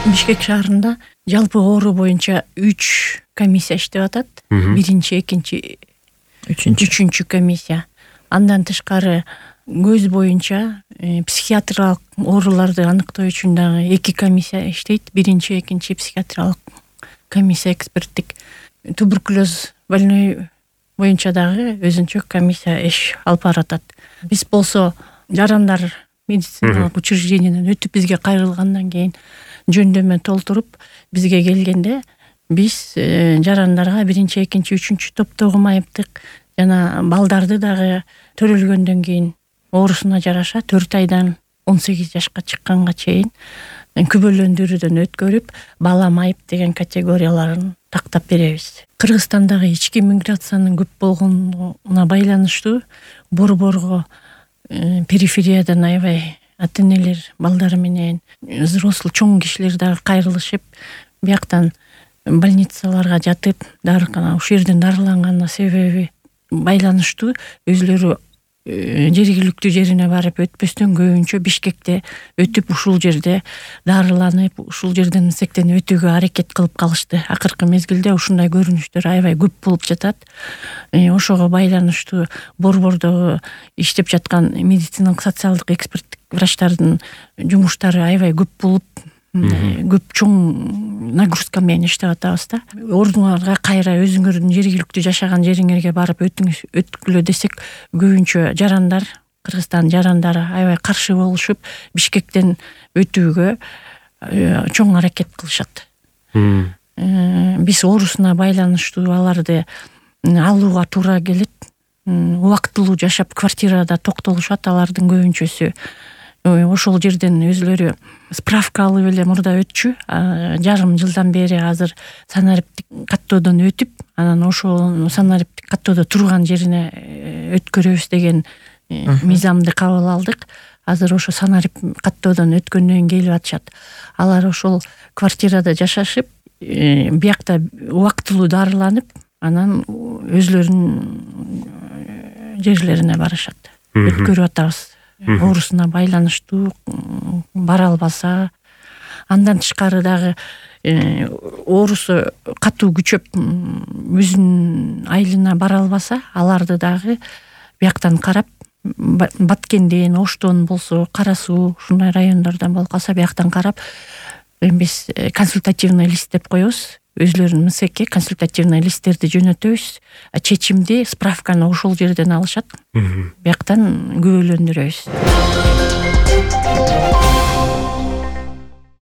Бишкек шаарында жалпы оору боюнча 3 комиссия иштеп атат. Биринчи, экинчи, үчүнчү комиссия. Андан тышкары көз боюнча психиатриялык ооруларды аныктоо үчүн дагы 2 комиссия иштейт. Биринчи, экинчи психиатриялык комиссия эксперттик. Туберкулез больной боюнча дагы өзүнчө комиссия иш алып баратат. Биз болсо жарандар медициналык учрежденияден өтүп бизге кайрылгандан кийин жөндөмө толтуруп бизге келгенде биз жарандарга биринчи, экинчи, үчүнчү топтогу майыптык жана балдарды дагы төрөлгөндөн кийин оорусуна жараша 4 айдан 18 жашка чыкканга чейин күбөлөндүрүүдөн өткөрүп, бала майып деген категорияларын тактап беребиз. Кыргызстандагы ички миграциянын көп болгонуна байланыштуу борборго перифериядан аябай ата-энелер балдары менен взрослый чоң кишилер дагы кайрылышып, бияктан больницаларга жатып, дарыкана ушул жерден дарыланганына себеби байланыштуу өзүлөрү жергиликтүү жерине барып өтпөстөн көбүнчө Бишкекте өтүп, ушул жерде дарыланып, ушул жерден сектен өтүүгө аракет кылып калышты. Акыркы мезгилде ушундай көрүнүштөр аябай көп болуп жатат. Ошого байланыштуу борбордогу иштеп жаткан медициналык социалдык эксперттик врачтардын жумуштары аябай көп болуп, көп чоң нагрузка менен иштеп атабыз да. Ордуңарга кайра өзүңөрдүн жергиликтүү жашаган жериңерге барып өткүлө десек, көбүнчө жарандар, Кыргызстан жарандары аябай каршы болушуп, Бишкектен өтүүгө чоң аракет кылышат. Биз оорусуна байланыштуу аларды алууга туура келет. Убактылуу жашап квартирада токтолушат алардын көбүнчөсү. Ошол жерден өзүлөрү справка алып эле мурда өтчү. Жарым жылдан бери азыр санариптик каттоодон өтүп, анан ошол санариптик каттоодо турган жерине өткөрөбүз деген мыйзамды кабыл алдык. Азыр ошо санариптик каттоодон өткөндөн келип атышат. Алар ошол квартирада жашашып, биякта убактылуу дарыланып, анан өзүлөрүнүн жерлерине барышат. Өткөрүп атабыз. Оорусуна байланыштуу бара албаса, андан тышкары дагы оорусу катуу күчөп өзүнүн айылына бара албаса, аларды дагы бияктан карап, Баткенден, Оштон болсо, Кара Суу, ушундай райондордон болуп калса бияктан карап, биз консультативный лист деп коебуз. Өзүлөрүнүн МСК консультативный листтерди жөнөтөбүз. Чечимди, справканы ошол жерден алышат. Бияктан күбөлөндүрөбүз.